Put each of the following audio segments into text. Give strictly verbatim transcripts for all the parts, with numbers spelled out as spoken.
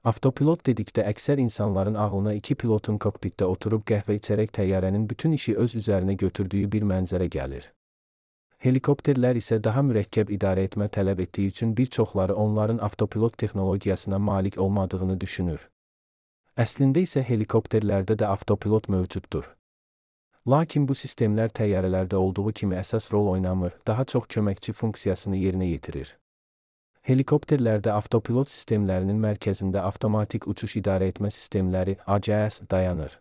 Avtopilot dedikdə əksər insanların ağlına iki pilotun kokpitdə oturub qəhvə içərək təyyarənin bütün işi öz üzərinə götürdüyü bir mənzərə gəlir. Helikopterlər isə daha mürəkkəb idarə etmə tələb etdiyi üçün bir çoxları onların avtopilot texnologiyasına malik olmadığını düşünür. Əslində isə helikopterlərdə də avtopilot mövcuddur. Lakin bu sistemlər təyyarələrdə olduğu kimi əsas rol oynamır, daha çox köməkçi funksiyasını yerinə yetirir. Helikopterlərdə avtopilot sistemlərinin mərkəzində avtomatik uçuş idarə etmə sistemləri A C S dayanır.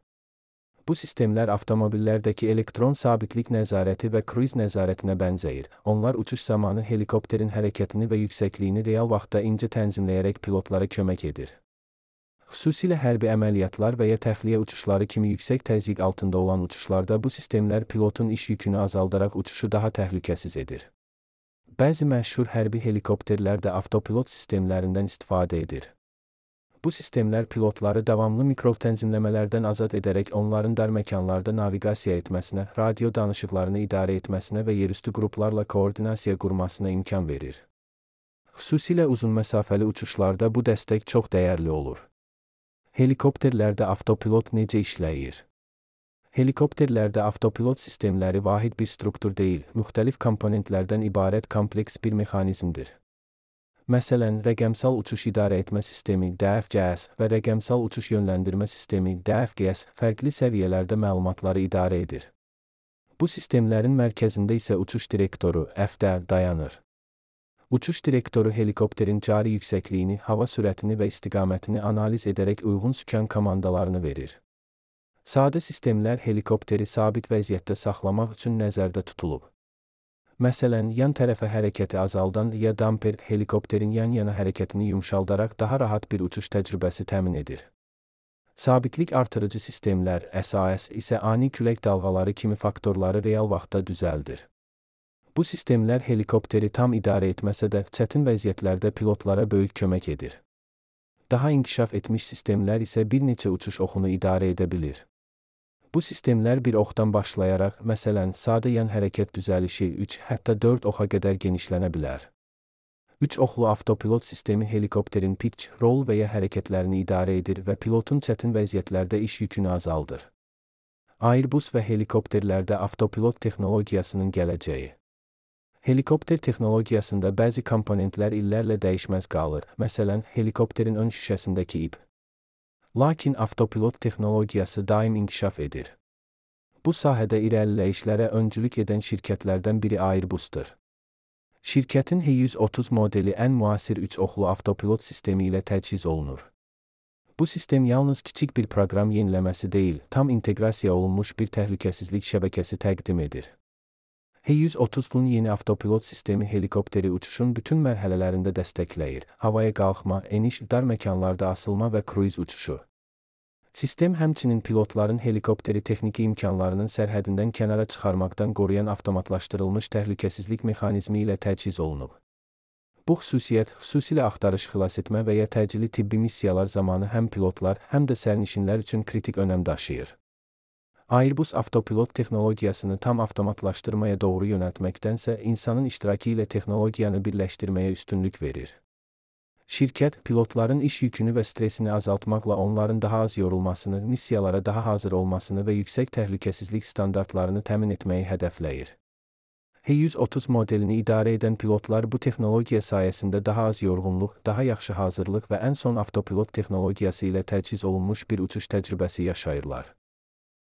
Bu sistemlər avtomobillərdəki elektron sabitlik nəzarəti və kruiz nəzarətinə bənzəyir. Onlar uçuş zamanı helikopterin hərəkətini və yüksəkliyini real vaxtda incə tənzimləyərək pilotlara kömək edir. Xüsusilə hərbi əməliyyatlar və ya təxliyə uçuşları kimi yüksək təzyiq altında olan uçuşlarda bu sistemlər pilotun iş yükünü azaldaraq uçuşu daha təhlükəsiz edir. Bəzi məşhur hərbi helikopterlər də avtopilot sistemlərindən istifadə edir. Bu sistemlər pilotları davamlı mikrotənzimləmələrdən azad edərək onların dar məkanlarda naviqasiya etməsinə, radio danışıqlarını idarə etməsinə və yerüstü qruplarla koordinasiya qurmasına imkan verir. Xüsusilə uzun məsafəli uçuşlarda bu dəstək çox dəyərli olur. Helikopterlərdə avtopilot necə işləyir? Helikopterlərdə avtopilot sistemləri vahid bir struktur deyil, müxtəlif komponentlərdən ibarət kompleks bir mexanizmdir. Məsələn, rəqəmsal uçuş idarə etmə sistemi D F G S və rəqəmsal uçuş yönləndirmə sistemi D F G S fərqli səviyyələrdə məlumatları idarə edir. Bu sistemlərin mərkəzində isə uçuş direktoru F D dayanır. Uçuş direktoru helikopterin cari yüksəkliyini, hava sürətini və istiqamətini analiz edərək uyğun sükan komandalarını verir. Sadə sistemlər helikopteri sabit vəziyyətdə saxlamaq üçün nəzərdə tutulub. Məsələn, yan tərəfə hərəkəti azaldan ya damper helikopterin yan-yana hərəkətini yumşaldaraq daha rahat bir uçuş təcrübəsi təmin edir. Sabitlik artırıcı sistemlər S A S isə ani külək dalğaları kimi faktorları real vaxtda düzəldir. Bu sistemlər helikopteri tam idarə etməsə də çətin vəziyyətlərdə pilotlara böyük kömək edir. Daha inkişaf etmiş sistemlər isə bir neçə uçuş oxunu idarə edə bilir. Bu sistemlər bir oxdan başlayaraq, məsələn, sadə yan hərəkət düzəlişi üç, hətta dörd oxa qədər genişlənə bilər. üç oxlu avtopilot sistemi helikopterin pitch, rol və ya hərəkətlərini idarə edir və pilotun çətin vəziyyətlərdə iş yükünü azaldır. Airbus və helikopterlərdə avtopilot texnologiyasının gələcəyi. Helikopter texnologiyasında bəzi komponentlər illərlə dəyişməz qalır, məsələn, helikopterin ön şüşəsindəki ip. Lakin avtopilot texnologiyası daim inkişaf edir. Bu sahədə irəliləyişlərə öncülük edən şirkətlərdən biri Airbusdur. Şirkətin H yüz otuz modeli ən müasir üç oxlu avtopilot sistemi ilə təchiz olunur. Bu sistem yalnız kiçik bir proqram yeniləməsi deyil, tam inteqrasiya olunmuş bir təhlükəsizlik şəbəkəsi təqdim edir. H yüz otuzun yeni avtopilot sistemi helikopteri uçuşun bütün mərhələlərində dəstəkləyir. Havaya qalxma, eniş, dar məkanlarda asılma və kruiz uçuşu. Sistem həmçinin pilotların helikopteri texniki imkanlarının sərhədindən kənara çıxarmaqdan qoruyan avtomatlaşdırılmış təhlükəsizlik mexanizmi ilə təchiz olunub. Bu xüsusiyyət xüsusilə axtarış, xilasetmə və ya təcili tibbi missiyalar zamanı həm pilotlar, həm də sərnişinlər üçün kritik önəm daşıyır. Airbus avtopilot texnologiyasını tam avtomatlaşdırmaya doğru yönəltməkdənsə, insanın iştirakı ilə texnologiyanı birləşdirməyə üstünlük verir. Şirkət, pilotların iş yükünü və stresini azaltmaqla onların daha az yorulmasını, missiyalara daha hazır olmasını və yüksək təhlükəsizlik standartlarını təmin etməyi hədəfləyir. H yüz otuz modelini idarə edən pilotlar bu texnologiya sayəsində daha az yorğunluq, daha yaxşı hazırlıq və ən son avtopilot texnologiyası ilə təchiz olunmuş bir uçuş təcrübəsi yaşayırlar.